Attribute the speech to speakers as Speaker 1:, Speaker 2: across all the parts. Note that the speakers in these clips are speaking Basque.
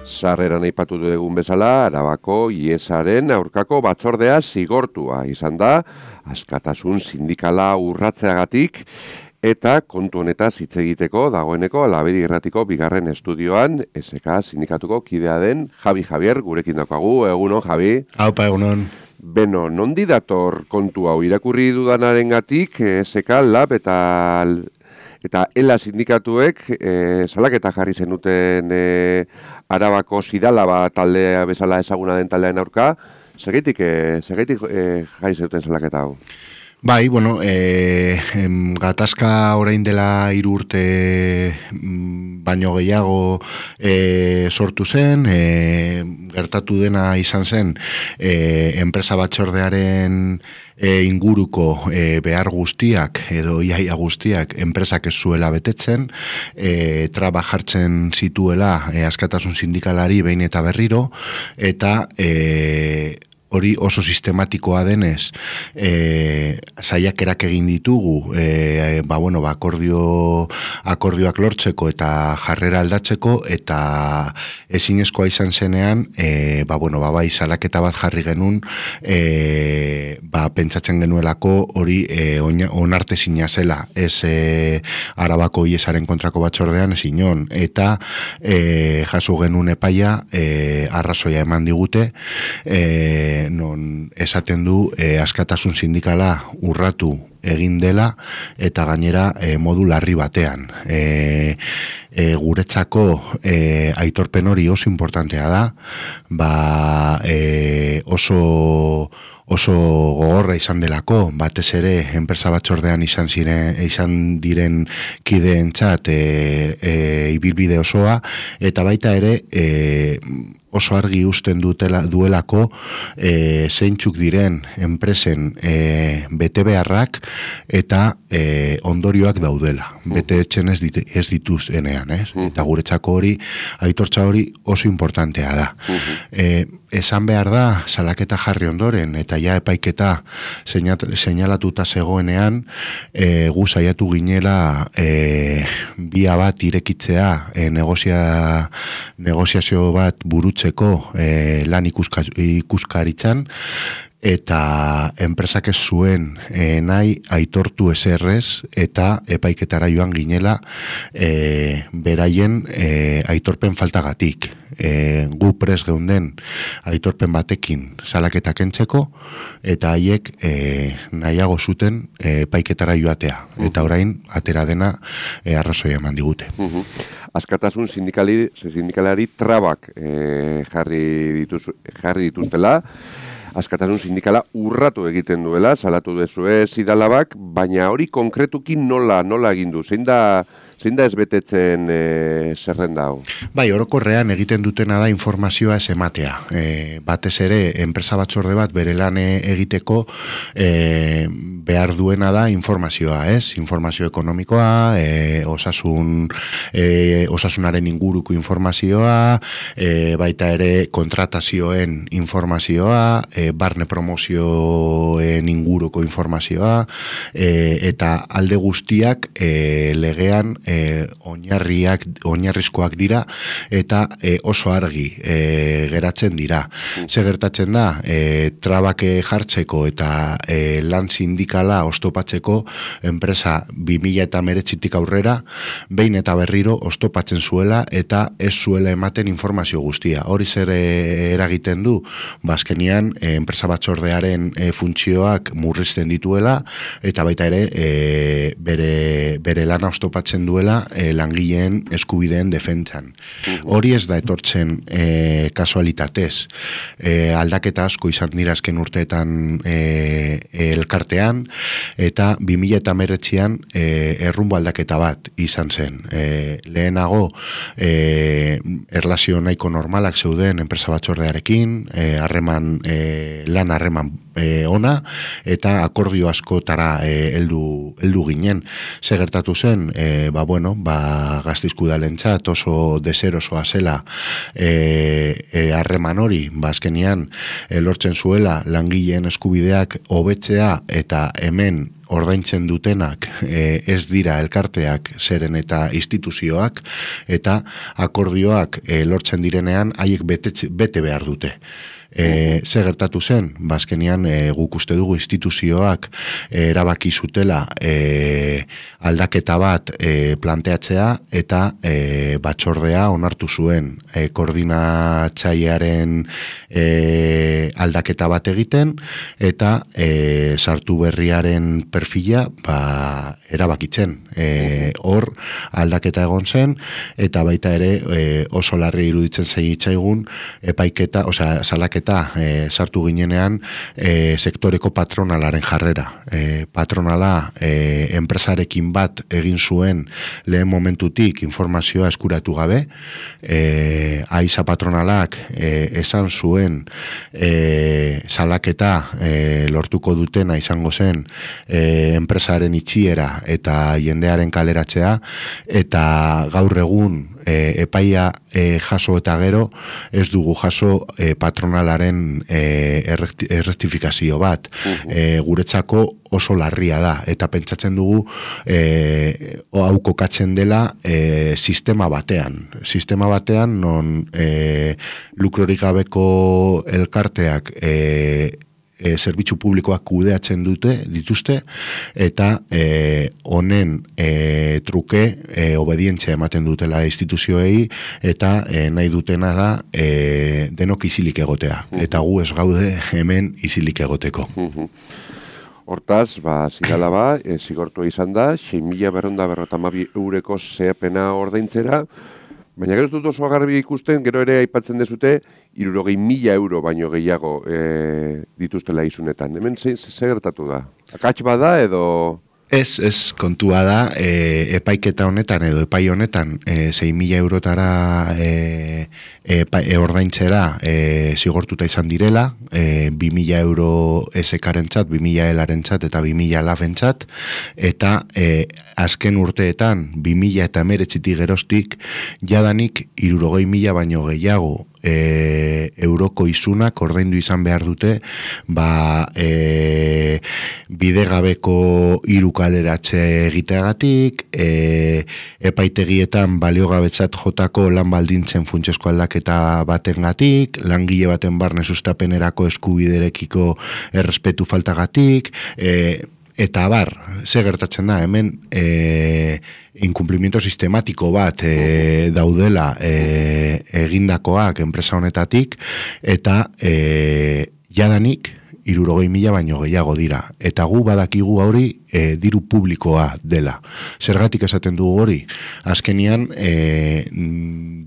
Speaker 1: Sarreran aipatu dugun bezala, Arabako IESaren aurkako batzordea zigortua izan da, askatasun sindikala urratzeagatik, eta kontu honetaz hitz egiteko dagoeneko Labedi Irratiko bigarren estudioan SK sindikatuko kidea den Javi Javier gurekin daukagu. Egunon, Javi.
Speaker 2: Aupa, egunon.
Speaker 1: Beno, nondi dator kontu hau irakurri dudanarengatik SK Lab eta ELA sindikatuek salaketa jarri zenuten Arabako Sidalaba taldea bezala ezaguna den taldearen aurka, segaitik jarri zenuten salaketa hau?
Speaker 2: Bai, bueno, gatazka orain dela 3 urte baino gehiago sortu zen, gertatu dena izan zen enpresa batzordearen inguruko behar guztiak edo iaia guztiak enpresak ez zuela betetzen, traba jartzen zituela askatasun sindikalari behin eta berriro, eta hori oso sistematikoa denez, saiakerak egin ditugu, akordioak lortzeko eta jarrera aldatzeko, eta ezinezkoa izan zenean, bai, salaketa bat jarri genuen, pentsatzen genuelako hori onartezina zela, ez Arabako IESaren kontrako batzordean ez inon, eta jaso genuen epaia, arrazoia eman digute, non esaten du askatasun sindikala urratu egin dela eta gainera modu larri batean. Guretzako aitorpen hori oso importantea da, oso gogorra izan delako, batez ere enpresa batzordean izan diren kideentzat ibilbide osoa, eta baita ere oso argi usten duelako zeintzuk diren enpresen betebeharrak eta ondorioak daudela, betetzen ez dituztenean, eta guretzako hori, aitortza hori oso importantea da. Esan behar da, salaketa jarri ondoren, eta ja epaiketa seinalatuta zegoenean, gu saiatu ginela bia bat irekitzea, negoziazio bat burutzeko lan ikuskaritzan, eta enpresak ez zuen nahi aitortu eserrez, eta epaiketara joan ginela beraien aitorpen faltagatik. Gu pres geunden aitorpen batekin salaketa kentzeko, eta haiek nahiago zuten epaiketara joatea, eta orain atera dena arrazoia eman digute.
Speaker 1: Askatasun sindikalari trabak jarri dituztela, askatasun sindikala urratu egiten duela, salatu dezue Sidalabak, baina hori konkretuki nola egin du? Zein da ez betetzen zerrenda hau?
Speaker 2: Bai, orokorrean egiten dutena da informazioa ez ematea. Batez ere, enpresa batzorde bat bere lan egiteko behar duena da informazioa, ez? Informazio ekonomikoa, osasunaren inguruko informazioa, baita ere kontratazioen informazioa, barne promozioen inguruko informazioa, eta alde guztiak legean oinarrizkoak dira eta oso argi geratzen dira. Ze gertatzen da, trabak jartzeko eta lan sindikala oztopatzeko enpresa 2019tik aurrera behin eta berriro oztopatzen zuela eta ez zuela ematen informazio guztia. Hori zer eragiten du? Azkenean enpresa batzordearen funtzioak murrizten dituela, eta baita ere bere lana oztopatzen duela langileen eskubideen defentsan. Hori ez da etortzen kasualitatez. Aldaketa asko izan dira azken urteetan elkartean, eta 2019an errumbo aldaketa bat izan zen. Lehenago erlazio nahiko normalak zeuden enpresa batzordearekin, lan harreman ona, eta akordio askotara heldu ginen. Ze gertatu zen, Gasteizko udalentzat oso deserosoa zela harreman hori, azkenean lortzen zuela langileen eskubideak hobetzea, eta hemen ordaintzen dutenak ez dira elkarteak zeren eta instituzioak, eta akordioak lortzen direnean haiek bete behar dute. Ze gertatu zen, bazkenian guk uste dugu instituzioak erabaki zutela aldaketa bat planteatzea eta batzordea onartu zuen koordinatzailearen aldaketa bat egiten eta sartu berriaren perfila erabakitzen. Hor aldaketa egon zen eta baita ere oso larri iruditzen zaigun epaiketa, osea salaketa sartu ginenean sektoreko patronalaren jarrera. Patronala enpresarekin bat egin zuen lehen momentutik informazioa eskuratu gabe. Aiza patronalak esan zuen salaketa lortuko dutena izango zen enpresaren itxiera eta jendearen kaleratzea, eta gaur egun epaia jaso eta gero ez dugu jaso patronalaren errektifikazio bat. Guretzako oso larria da, eta pentsatzen dugu hau kokatzen dela sistema batean non lukrorik gabeko elkarteak zerbitzu publikoak kudeatzen dituzte, eta honen truke obedientzia ematen dutela instituzioei, eta nahi dutena da denok isilik egotea. Eta gu ez gaude hemen isilik egoteko.
Speaker 1: Hortaz, zigala zigortua izan da, 6.252 euroko zeapena ordaintzera, baina gero ez dut oso garbi ikusten, gero ere aipatzen dezute, 60.000 euro baino gehiago dituztela izunetan. Hemen ze gertatu da? Akats bada edo...
Speaker 2: Ez, kontua da, epaiketa honetan edo epai honetan 6.000 eurotara ordaintzera zigortuta izan direla, 2.000 euro SK-rentzat, 2.000 ELA-rentzat eta 2.000 LAF-entzat, eta azken urteetan 2000 eta 19 geroztik jadanik 60.000 baino gehiago euroko izunak ordaindu izan behar dute bidegabeko hiru kaleratze egiteagatik, epaitegietan baliogabetzat jotako lan baldintzen funtsezko aldaketa batengatik, langile baten barne sustapenerako eskubiderekiko errespetu faltagatik, eta ze gertatzen da, hemen inkumplimiento sistematiko bat daudela egindakoak enpresa honetatik, eta jadanik 60.000 baino gehiago dira. Eta gu badakigu hori diru publikoa dela. Zergatik esaten dugu hori? Azkenian,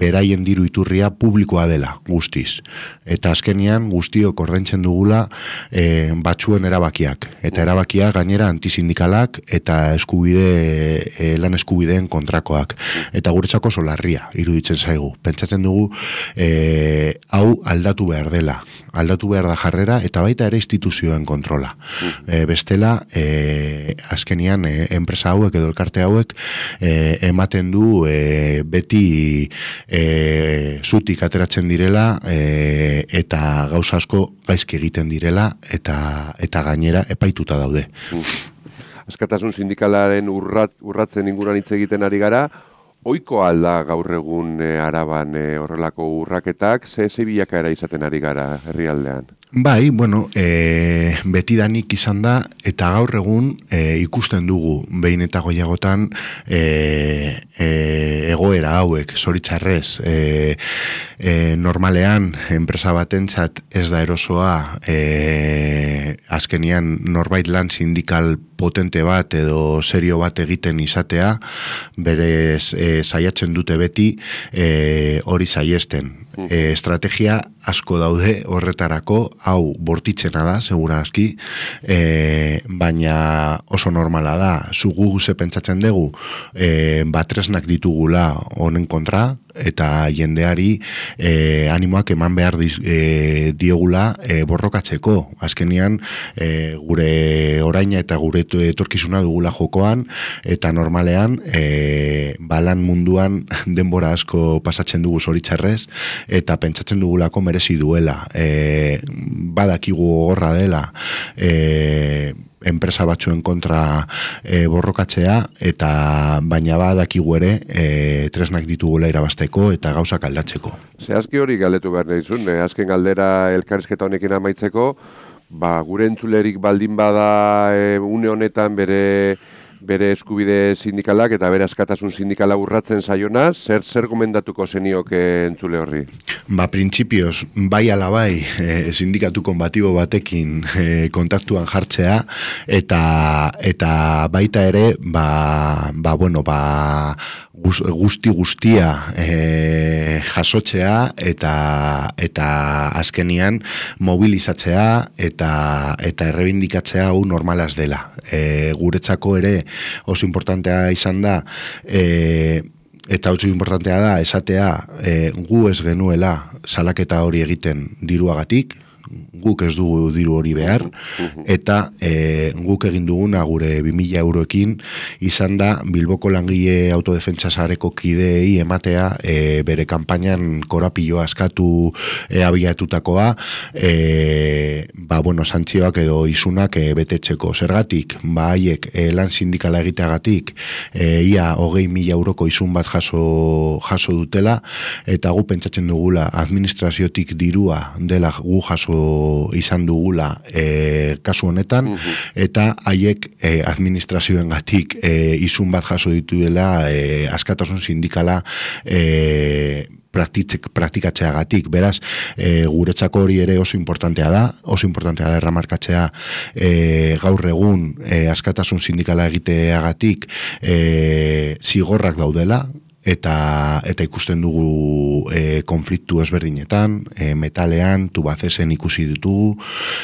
Speaker 2: beraien diru iturria publikoa dela, guztiz. Eta azkenian, guztiok ordaintzen dugula batzuen erabakiak. Eta erabakiak gainera antisindikalak eta lan eskubideen kontrakoak. Eta guretzako solarria, iruditzen zaigu. Pentsatzen dugu, hau aldatu behar dela. Aldatu behar da jarrera, eta baita ere instituzioen kontrola. Bestela, azkenian enpresa hauek edo elkarte hauek ematen du beti zutik ateratzen direla eta gauza asko gaizki egiten direla eta gainera epaituta daude.
Speaker 1: Askatasun sindikalaren urratzen inguruan hitz egiten ari gara, ohiko alda gaur egun Araban horrelako urraketak, ze bilakaera izaten ari gara herrialdean?
Speaker 2: Bai, betidanik izan da, eta gaur egun ikusten dugu behin eta gehiagotan egoera hauek, zoritxarrez. Normalean, enpresa batentzat ez da erosoa azkenian norbait lan sindikal potente bat edo serio bat egiten izatea, berez saiatzen dute beti hori saiesten. Estrategia asko daude horretarako, hau bortitzena da, segurazki, baina oso normala da. Zugu ze pentsatzen dugu, batresnak ditugula honen kontra, eta jendeari animoak eman behar diogula borrokatzeko. Azkenian, gure oraina eta gure etorkizuna dugula jokoan, eta normalean, balan munduan denbora asko pasatzen dugu zoritxarrez, eta pentsatzen dugulako merezi duela. Badakigu gorra dela, enpresa batzuen kontra borrokatzea, eta baina badakigu ere tresnak ditugula irabasteko eta gauzak aldatzeko.
Speaker 1: Zehazki hori galdetu behar nahizun, azken galdera elkarrizketa honekin amaitzeko, gure entzulerik baldin bada une honetan bere eskubide sindikalak eta bere askatasun sindikala urratzen saiona, zer gomendatuko zenioke entzule horri?
Speaker 2: Printzipioz, bai ala bai, sindikatu konbatibo batekin kontaktuan jartzea, eta baita ere, guztia jasotzea eta azkenian mobilizatzea eta errebindikatzea hau normalaz dela. Guretzako ere oso importantea izan da, eta oso importantea da esatea gu ez genuela salaketa hori egiten diruagatik, guk ez dugu diru hori behar, eta guk egin duguna gure 2.000 euroekin izan da Bilboko langile autodefentsa sareko kideei ematea bere kanpainan korapilloa askatu abiatutakoa, santzioak edo isunak betetzeko. Zergatik, haiek lan sindikala egiteagatik ia 20.000 euroko isun bat jaso dutela, eta gu pentsatzen dugula administraziotik dirua dela gu jaso izan dugula kasu honetan, eta haiek administrazioengatik isun bat jaso dituela askatasun sindikala praktikatzeagatik. Beraz, guretzako hori ere oso importantea da erramarkatzea gaur egun askatasun sindikala egiteagatik zigorrak daudela, eta ikusten dugu konfliktu ezberdinetan, metalean, tubacesen ikusi ditugu,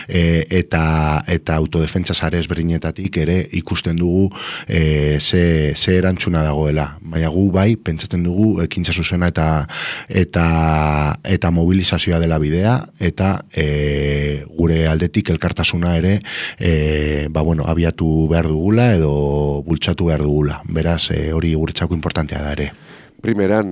Speaker 2: eta autodefentsa sare ezberdinetatik ere ikusten dugu ze erantzuna dagoela. Baina gu bai, pentsatzen dugu ekintza zuzena eta mobilizazioa dela bidea, eta gure aldetik elkartasuna ere abiatu behar dugula edo bultzatu behar dugula. Beraz, hori guretzako importantea da ere.
Speaker 1: Primeran,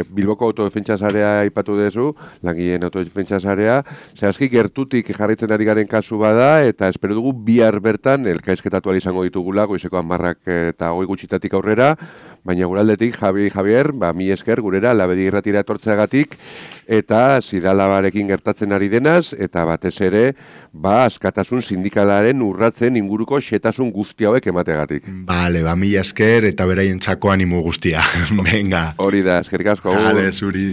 Speaker 1: Bilboko autodefentsa sarea aipatu duzu, langileen autodefentsa sarea, zehazki gertutik jarraitzen ari garen kasu bada, eta espero dugu bihar bertan elkarrizketatu izango ditugula, goizeko 10 eta 20 gutxitatik aurrera, baina guraldetik, Javier, mi esker gurera, labedi irratira etortzeagatik, eta zidalabarekin gertatzen ari denaz, eta batez ere, askatasun sindikalaren urratzen inguruko xetasun guzti hauek emategatik.
Speaker 2: Bale, mi esker eta beraien txako animo guztia. Venga.
Speaker 1: Hori da, eskerrik asko.
Speaker 2: Dale, zuri.